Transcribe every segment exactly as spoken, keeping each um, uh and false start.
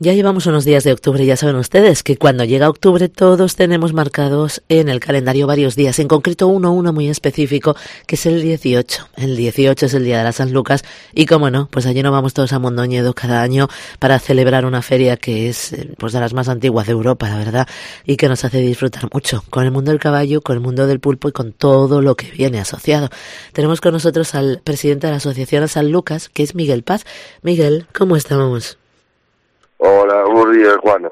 Ya llevamos unos días de octubre, ya saben ustedes que cuando llega octubre todos tenemos marcados en el calendario varios días, en concreto uno, uno muy específico, que es el dieciocho. El dieciocho es el día de la San Lucas y, como no, pues allí nos vamos todos a Mondoñedo cada año para celebrar una feria que es pues de las más antiguas de Europa, la verdad, y que nos hace disfrutar mucho con el mundo del caballo, con el mundo del pulpo y con todo lo que viene asociado. Tenemos con nosotros al presidente de la Asociación San Lucas, que es Miguel Paz. Miguel, ¿cómo estamos? Hola, buenos días, Juana.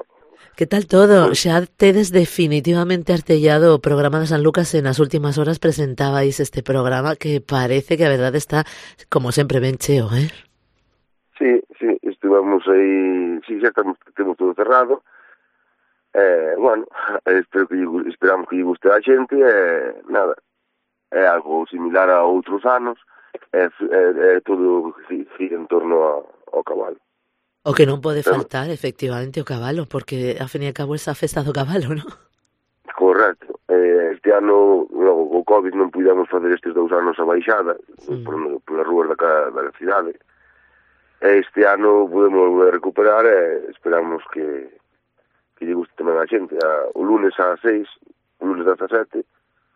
Que tal todo? Xa tedes definitivamente artellado o programa de San Lucas. En as últimas horas presentabais este programa que parece que a verdade está, como sempre, ben cheo, eh? Sí, sí, estivemos aí, sí, xa estamos, temos todo cerrado. Eh, bueno, espero que, esperamos que lle guste a xente, eh, nada, é algo similar a outros anos, é, é, é todo gira en torno a, ao cabalo. O que non pode faltar, efectivamente, o cabalo, porque, a fin e a cabo, esa festa do cabalo, non? Correcto. Eh, este ano, logo, o COVID non pudemos facer estes dous anos a baixada, mm. por, polas rúas da, da cidade. Este ano podemos volver a recuperar e esperamos que, que lle guste tamén a xente. A, o lunes ás seis, o lunes dezasete,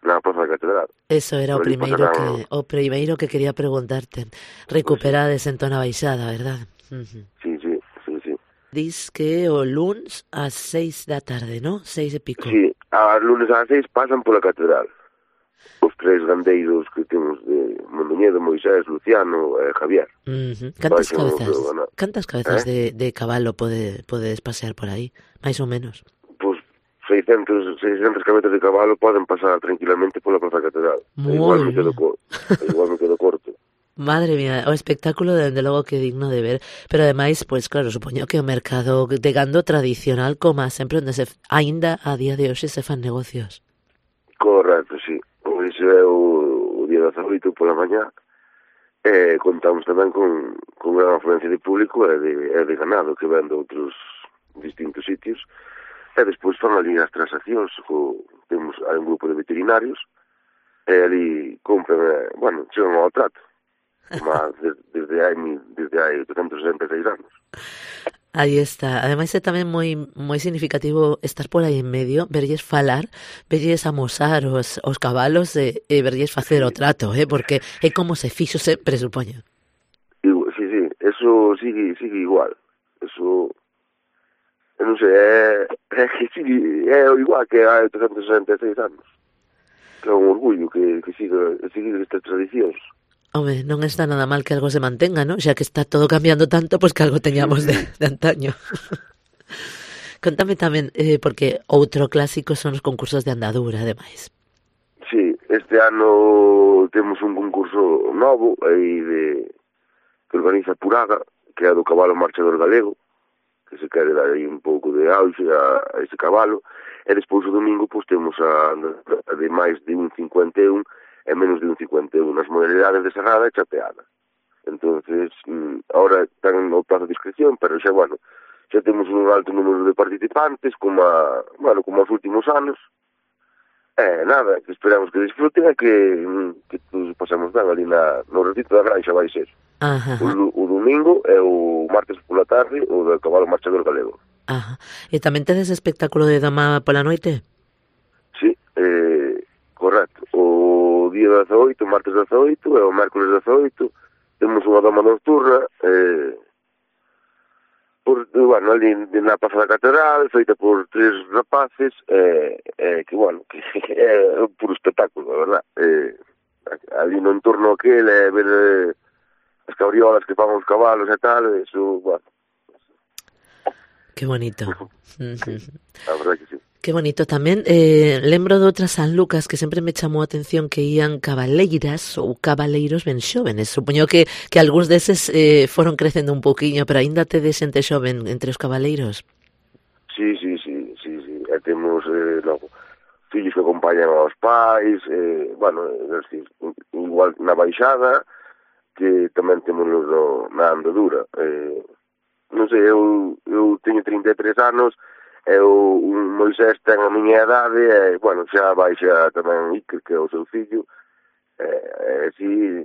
na Praza da Catedral. Eso era o primeiro que o primeiro que quería preguntarte. Recuperades en Tona Baixada, verdad? Uh-huh. Sí, sí, sí, sí. Dis que o lunes ás seis da tarde, ¿no? Seis e pico. Sí, a lunes ás seis pasan pola Catedral. Os tres gandeiros que temos de Mondoñedo, Moisés, Luciano e Javier. Uh-huh. Cantas cabezas, cantas cabezas eh? de, de cabalo pode, podes pasear por aí, máis ou menos? Pois seiscentas, seiscentas cabezas de cabalo poden pasar tranquilamente pola Praza Catedral. Igual me, quedo, igual me quedo corto. Madre mía, o espectáculo dende logo que é digno de ver, pero ademais, pois claro, supoño que o mercado de gando tradicional, como sempre onde se aínda a día de hoxe se fan negocios. Correcto, sí. Pois é o, o día dezaoito pola mañá. Eh, contamos tamén con, con gran afluencia de público e de, e de ganado que ven de outros distintos sitios. E despois fan ali as transaccións, co, temos hai un grupo de veterinarios e ali compran, eh, bueno, chegan ao trato. Mas desde hai desde hai oitocentos sesenta e seis anos. Aí está. Ademais é tamén moi moi significativo estar por aí en medio, verlles falar, verlles amosar os, os cabalos e, e verlles facer sí. o trato, eh? Porque é como se fixo sempre, supoño. Sí, sí, eso sigue, sigue igual. Eso, non sei, é, é que sigue, é igual que hai oitocentos sesenta e seis anos. Que é un orgullo que, que siga, que siga estas tradicións. Home, non está nada mal que algo se mantenga, ¿no? Xa que está todo cambiando tanto, pues que algo teñamos de, de antaño. Contame tamén, eh, porque outro clásico son os concursos de andadura, ademais. Sí, este ano temos un concurso novo aí de que organiza Puraga, que é do cabalo marchador galego, que se quere dar aí un pouco de auxe a, a ese cabalo, e despois o domingo pois temos a, a de máis de un cincuenta e un e menos de un cincuenta e un nas modalidades de serrada e chapeada. Entonces, ahora están no plazo de inscripción, pero xa, bueno, xa temos un alto número de participantes, como a, bueno, como os últimos anos. Eh, nada, que esperamos que disfruten e que, que todos pasemos ben ali na, no retito da Granxa vai ser. Ajá. O, o domingo e o martes pola tarde o do cabalo marchador galego. Ajá. E tamén tedes espectáculo de dama pola noite? Sí, eh, correcto. O día dezaoito, martes dezaoito e o mércoles dezaoito temos unha dama nocturna eh, por, bueno, ali na Praza da Catedral, feita por tres rapaces eh, eh, que, bueno, que é un puro espectáculo, a verdad. Eh, ali no entorno aquel é ver eh, as cabriolas que fan os cabalos e tal, eso, bueno. Que bonito. A verdad que sí. Que bonito tamén. Eh, lembro de outras San Lucas que sempre me chamou a atención que ían cabaleiras ou cabaleiros ben xóvenes. Supoño que, que algúns deses eh, foron crecendo un pouquiño, pero aínda tedes xente xoven entre os cabaleiros. Sí, sí, sí, sí, sí. E temos, eh, logo, fillos que acompañan aos pais, eh, bueno, é decir, igual na baixada, que tamén temos no, na andadura. Eh, non sei, eu, eu teño trinta e tres anos, e o un Moisés ten a miña idade e, bueno, xa baixa tamén Iker, que é o seu fillo, e, e así,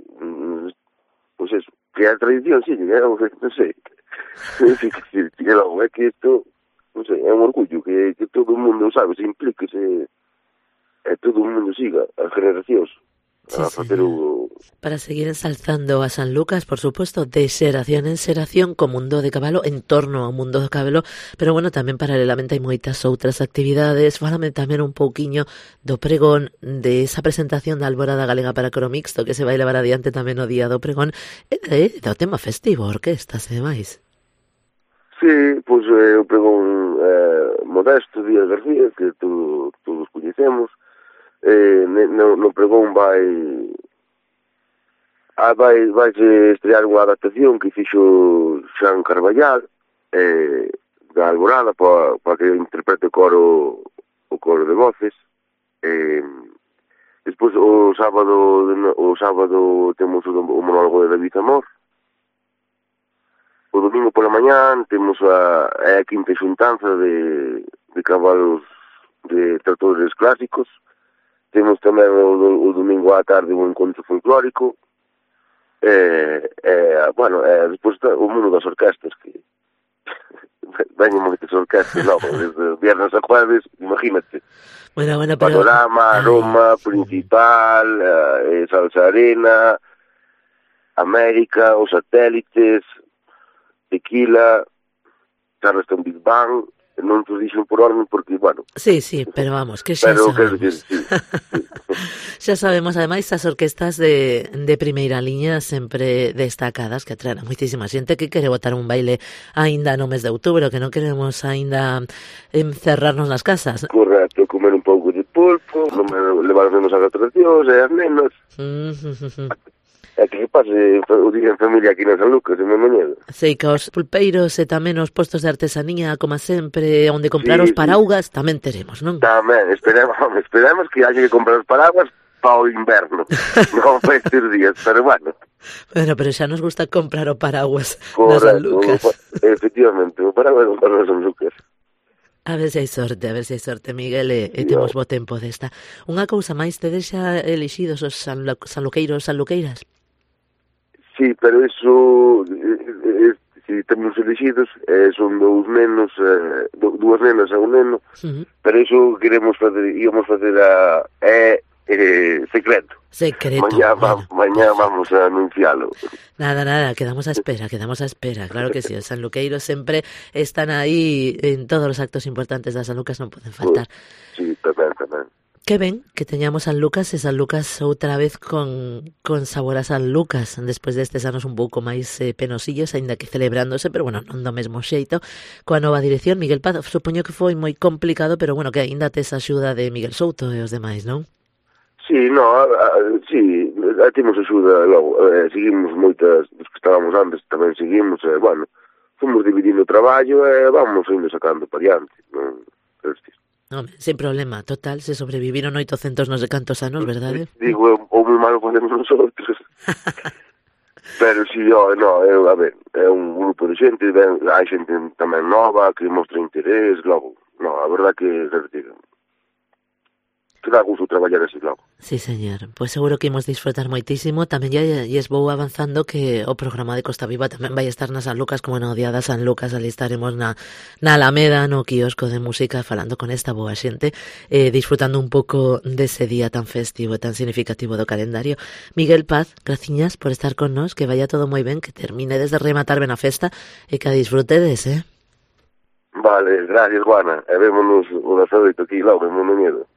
pois eso, que é a tradición, sí, é, non sei, non sei que decir, que logo, é que isto, non sei, é un orgullo que, que todo o mundo, sabe, se implique, se, e todo o mundo siga, as generacións, sí, a facer o... Para seguir ensalzando a San Lucas, por supuesto, de xeración en xeración, co mundo de cabalo, en torno ao mundo do cabalo, pero bueno, tamén paralelamente hai moitas outras actividades. Fálame tamén un pouquiño do pregón, de esa presentación da Alborada Galega para Coro Mixto, que se vai levar adiante tamén o día do pregón, e de, do tema festivo, orquestas e demais. Sí, pois eh, o pregón eh, Modesto Díaz García, que todo, todos coñecemos. Eh, no, no pregón vai ah, vai vai estrear unha adaptación que fixo Xan Carballal eh, da Alborada para pa que interprete o coro o coro de voces. Eh, despois o sábado o sábado temos o, o monólogo de David Amor. O domingo pola mañán temos a, a quinta xuntanza de, de cabalos de tratores clásicos. Temos tamén o, o domingo á tarde un encontro folclórico. E, e, bueno, e despois o mundo das orquestas, que veñen moitas orquestas, non, desde viernes a jueves, imagínate. Bueno, bueno, pero... Panorama, Roma, Ay. Principal, eh, Salsa Arena, América, Os Satélites, Tequila, Charleston Big Bang... non te dixen por orden porque, bueno... Sí, sí, pero vamos, que xa pero, sabemos. Que, sí, sí. Xa sabemos, ademais, as orquestas de, de primeira liña sempre destacadas, que atraen a moitísima xente que quere botar un baile aínda no mes de outubro, que non queremos aínda encerrarnos nas casas. Correcto, comer un pouco de pulpo, levar os nenos a atraccións e as nenas... É que pase o día en familia aquí na San Lucas, en Moñedo. Sei que os pulpeiros e tamén os postos de artesanía, como sempre, onde comprar sí, os paraugas, sí. Tamén teremos, non? Tamén, esperemos, esperemos que haya que comprar os paraguas para o inverno, non para estes días, pero bueno. Bueno, pero xa nos gusta comprar o paraguas na San Lucas. Efectivamente, o paraguas comprar na San Lucas. A ver se hai sorte, a ver se hai sorte, Miguel, e, e temos bo tempo desta. Unha cousa máis, tedes xa elixidos os sanluqueiros, sanluqueiras? Sí, pero iso, eh, eh, si temos elegidos, eh, son dous nenos, eh, dúas nenas e un neno, uh-huh. Pero iso queremos facer, íamos facer a, eh, eh, secreto. Secreto. Mañá, bueno. va, mañá vamos a anuncialo. Nada, nada, quedamos a espera, quedamos a espera, claro que sí, os sanluqueiros sempre están aí en todos os actos importantes da San Lucas, non poden faltar. Sí, tamén, tamén. Que ben que teñamos San Lucas e San Lucas outra vez con, con sabor a San Lucas despois destes anos un pouco máis eh, penosillos, aínda que celebrándose, pero bueno, non do mesmo xeito, coa nova dirección. Miguel Paz, supoño que foi moi complicado, pero bueno, que aínda tes axuda de Miguel Souto e os demais, non? Sí, no, a, a, sí, temos axuda logo, eh, seguimos moitas dos que estábamos antes, tamén seguimos, e eh, bueno, fomos dividindo o traballo e eh, vamos indo sacando para diante, non? Hostia. No, sin problema, total, se sobreviviron oitocentos non sei cantos anos, verdade? Digo, o moi malo podemos nosotros. Pero si, oh, no, é, a ver, é un grupo de xente, ben, hai xente tamén nova que mostra interés, logo, no, a verdad que, que que dá gusto traballar así, logo. Sí, señor, pois pues seguro que imos disfrutar moitísimo. Tamén ya lles vou avanzando que o programa de Costa Viva tamén vai estar na San Lucas, como no día da San Lucas, ali estaremos na, na Alameda, no quiosco de música, falando con esta boa xente, eh, disfrutando un pouco dese día tan festivo e tan significativo do calendario. Miguel Paz, graciñas por estar con nos, que vaya todo moi ben, que terminedes de rematar ben a festa e que a disfrutedes, eh? Vale, gracias, Juana, e vémonos o das oito aquí logo, en Moñedo.